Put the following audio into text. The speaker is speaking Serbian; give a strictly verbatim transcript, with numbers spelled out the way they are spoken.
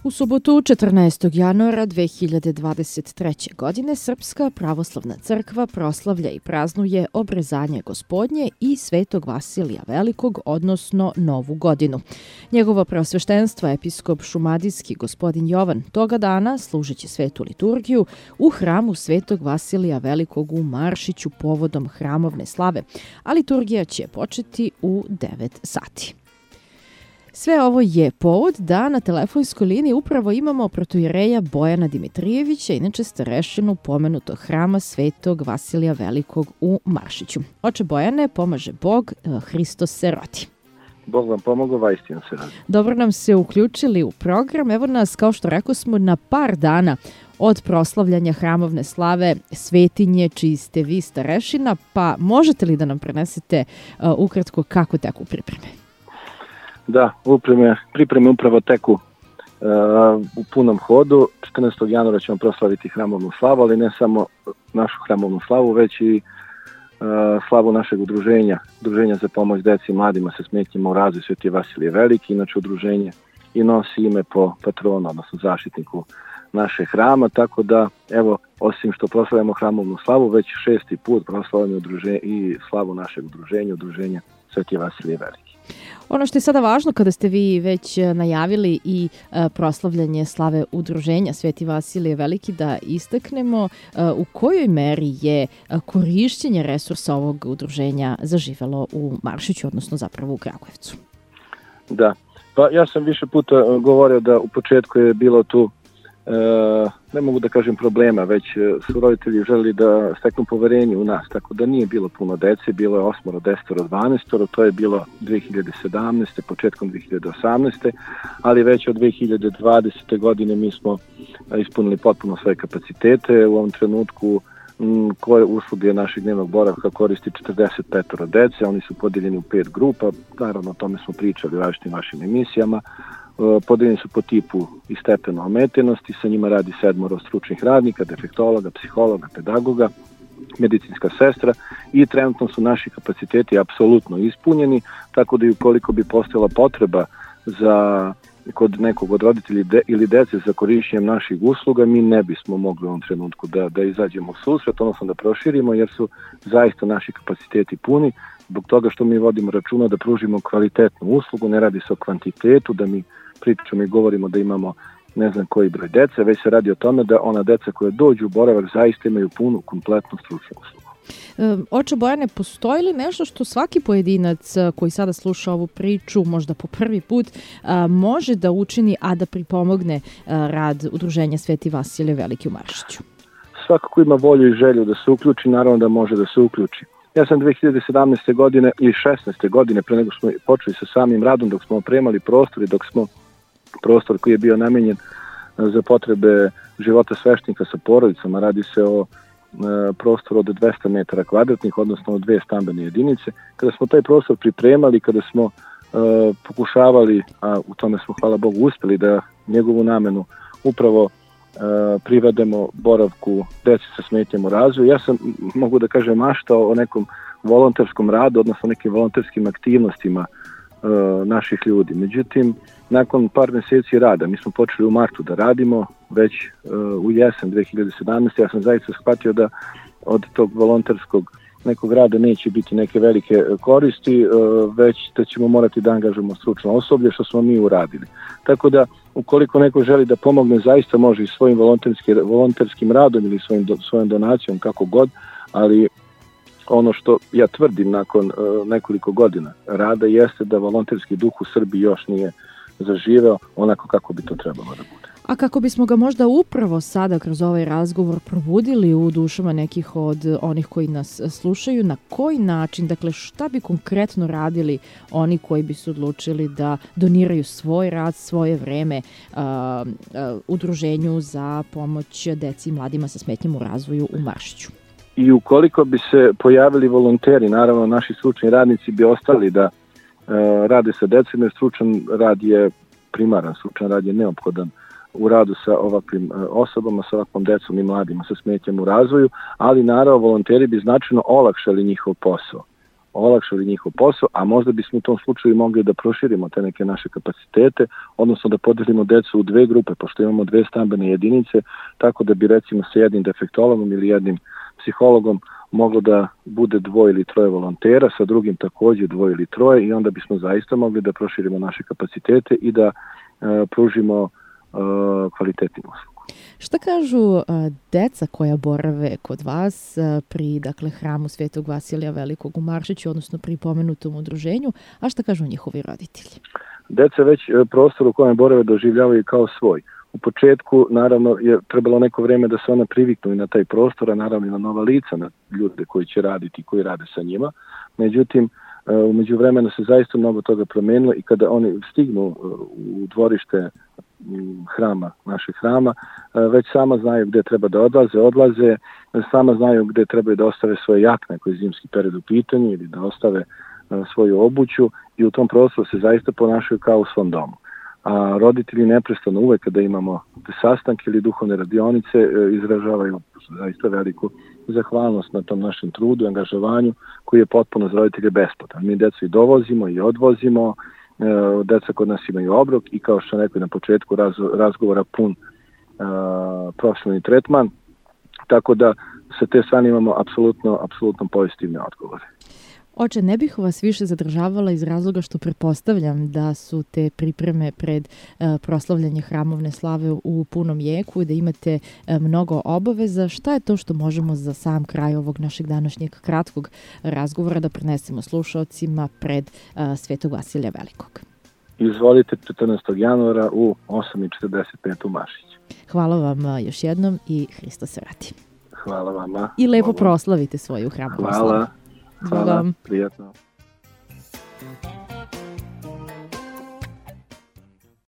U subotu četrnaestog januara dve hiljade dvadeset treće. godine Srpska pravoslavna crkva proslavlja i praznuje obrezanje Gospodnje i Svetog Vasilija Velikog, odnosno Novu godinu. Njegovo preosveštenstvo, episkop šumadijski gospodin Jovan, toga dana služeći svetu liturgiju u hramu Svetog Vasilija Velikog u Maršiću povodom hramovne slave, a liturgija će početi u devet sati. Sve ovo je povod da na telefonskoj liniji upravo imamo protoijereja Bojana Dimitrijevića, inače starešinu pomenutog hrama Svetog Vasilija Velikog u Maršiću. Oče Bojane, pomaže Bog, Hristos se rodi. Bog vam pomogao, vaistinu se rodi. Dobro nam se uključili u program. Evo nas, kao što rekao smo, na par dana od proslavljanja hramovne slave Svetinje, čiji ste vi starešina, pa možete li da nam prenesete uh, ukratko kako teku pripreme? Da, upreme, pripreme upravo teku uh, u punom hodu. četrnaestog januara ćemo proslaviti hramovnu slavu, ali ne samo našu hramovnu slavu, već i uh, slavu našeg udruženja, udruženja za pomoć deci i mladima sa smetnjama u razvoju Sveti Vasilije Veliki. Inače udruženje i nosi ime po patronu, odnosno zaštitniku naše hrama, tako da evo, osim što proslavljamo hramovnu slavu, već šesti put proslavljamo i slavu našeg udruženja, udruženja Sveti Vasilije Veliki. Ono što je sada važno kada ste vi već najavili i proslavljanje slave udruženja Sveti Vasilije Veliki, da istaknemo u kojoj meri je korišćenje resursa ovog udruženja zaživelo u Maršiću, odnosno zapravo u Kragujevcu. Da, pa ja sam više puta govorio da u početku je bilo tu E, ne mogu da kažem problema, već su roditelji želeli da steknu poverenje u nas, tako da nije bilo puno dece, bilo je osmoro, desetoro, dvanaestoro, to je bilo dve hiljade sedamnaeste. početkom dve hiljade osamnaeste. ali već od dve hiljade dvadesete. godine mi smo ispunili potpuno svoje kapacitete. U ovom trenutku m, koje usluge našeg dnevnog boravka koristi četrdeset petoro dece, oni su podijeljeni u pet grupa, naravno o tome smo pričali u različitim vašim emisijama. Podeljeni su po tipu i stepenu ometenosti, sa njima radi sedmoro stručnih radnika, defektologa, psihologa, pedagoga, medicinska sestra i trenutno su naši kapaciteti apsolutno ispunjeni, tako da i ukoliko bi postojala potreba za kod nekog od roditelja de, ili dece za korišćenjem naših usluga, mi ne bismo mogli u ovom trenutku da, da izađemo u susret, odnosno da proširimo, jer su zaista naši kapaciteti puni, zbog toga što mi vodimo računa da pružimo kvalitetnu uslugu, ne radi se o kvantitetu, da mi pričamo i govorimo da imamo ne znam koji broj dece, već se radi o tome da ona deca koja dođu u boravak zaista imaju punu, kompletnu stručnu uslugu. Oče Bojane, postoji li nešto što svaki pojedinac koji sada sluša ovu priču, možda po prvi put, može da učini, a da pripomogne rad udruženja Sveti Vasilije Veliki u Maršiću? Svako ko ima volju i želju da se uključi, naravno da može da se uključi. Ja sam dve hiljade sedamnaeste. godine ili šesnaeste. godine, pre nego smo počeli sa samim radom, dok smo opremali prostor i dok smo prostor koji je bio namenjen za potrebe života sveštenika sa porodicama, radi se o prostor od dvesta metara kvadratnih, odnosno od dve stambene jedinice. Kada smo taj prostor pripremali, kada smo uh, pokušavali, a u tome smo, hvala Bogu, uspeli da njegovu namenu upravo uh, privedemo boravku deci sa smetnjama u razvoju, ja sam, mogu da kažem, maštao o nekom volonterskom radu, odnosno nekim volonterskim aktivnostima uh, naših ljudi. Međutim, nakon par meseci rada, mi smo počeli u martu da radimo, već uh, u jesen dve hiljade sedamnaeste. ja sam zaista shvatio da od tog volonterskog nekog rada neće biti neke velike koristi, uh, već da ćemo morati da angažujemo stručno osoblje, što smo mi uradili. Tako da, ukoliko neko želi da pomogne, zaista može i svojim volonterskim, volonterskim radom ili svojim, svojom donacijom, kako god, ali ono što ja tvrdim nakon uh, nekoliko godina rada jeste da volonterski duh u Srbiji još nije zaživeo onako kako bi to trebalo da bude. A kako bismo ga možda upravo sada kroz ovaj razgovor probudili u dušama nekih od onih koji nas slušaju, na koji način, dakle šta bi konkretno radili oni koji bi se odlučili da doniraju svoj rad, svoje vreme uh, uh, udruženju za pomoć deci i mladima sa smetnjama u razvoju u Maršiću? I ukoliko bi se pojavili volonteri, naravno naši stručni radnici bi ostali da uh, rade sa decom, jer stručan rad je primaran, stručan rad je neophodan u radu sa ovakvim osobama, sa ovakvom decom i mladima sa smetnjama u razvoju, ali naravno volonteri bi značajno olakšali njihov posao. olakšali njihov posao, a možda bismo u tom slučaju mogli da proširimo te neke naše kapacitete, odnosno da podelimo decu u dve grupe, pošto imamo dve stambene jedinice, tako da bi recimo sa jednim defektologom ili jednim psihologom moglo da bude dvoje ili troje volontera, sa drugim također dvoje ili troje i onda bismo zaista mogli da proširimo naše kapacitete i da e, pružimo e, kvalitetnu uslugu. Šta kažu uh, deca koja borave kod vas uh, pri dakle, hramu Svetog Vasilija Velikog u Maršiću, odnosno pri pomenutom udruženju, a šta kažu njihovi roditelji? Deca već prostor u kojem borave doživljavaju kao svoj. U početku, naravno, je trebalo neko vreme da se ona priviknu i na taj prostor, a naravno i na nova lica, na ljude koji će raditi i koji rade sa njima. Međutim, u međuvremenu se zaista mnogo toga promenilo i kada oni stignu u dvorište hrama, našeg hrama, već sama znaju gde treba da odlaze, odlaze, sama znaju gde trebaju da ostave svoje jakne ako je zimski period u pitanju ili da ostave svoju obuću i u tom prostoru se zaista ponašaju kao u svom domu. A roditelji neprestano uvek kada imamo sastanke ili duhovne radionice izražavaju zaista veliku zahvalnost na tom našem trudu i angažovanju koji je potpuno za roditelje besplatan. Mi decu i dovozimo i odvozimo, deca kod nas imaju obrok i kao što rekao na početku raz, razgovora pun uh, profesionalni tretman, tako da sa te strane imamo apsolutno, apsolutno pozitivne odgovore. Oče, ne bih vas više zadržavala iz razloga što pretpostavljam da su te pripreme pred uh, proslavljanje hramovne slave u punom jeku i da imate uh, mnogo obaveza. Šta je to što možemo za sam kraj ovog našeg današnjeg kratkog razgovora da prenesemo slušaocima pred uh, Svetog Vasilija Velikog? Izvolite četrnaestog januara u osam i četrdeset pet u Maršiću. Hvala vam uh, još jednom i Hristos se radi. Hvala vama. I lepo proslavite svoju hramovnu slavu. Hvala. Hvala, prijatno.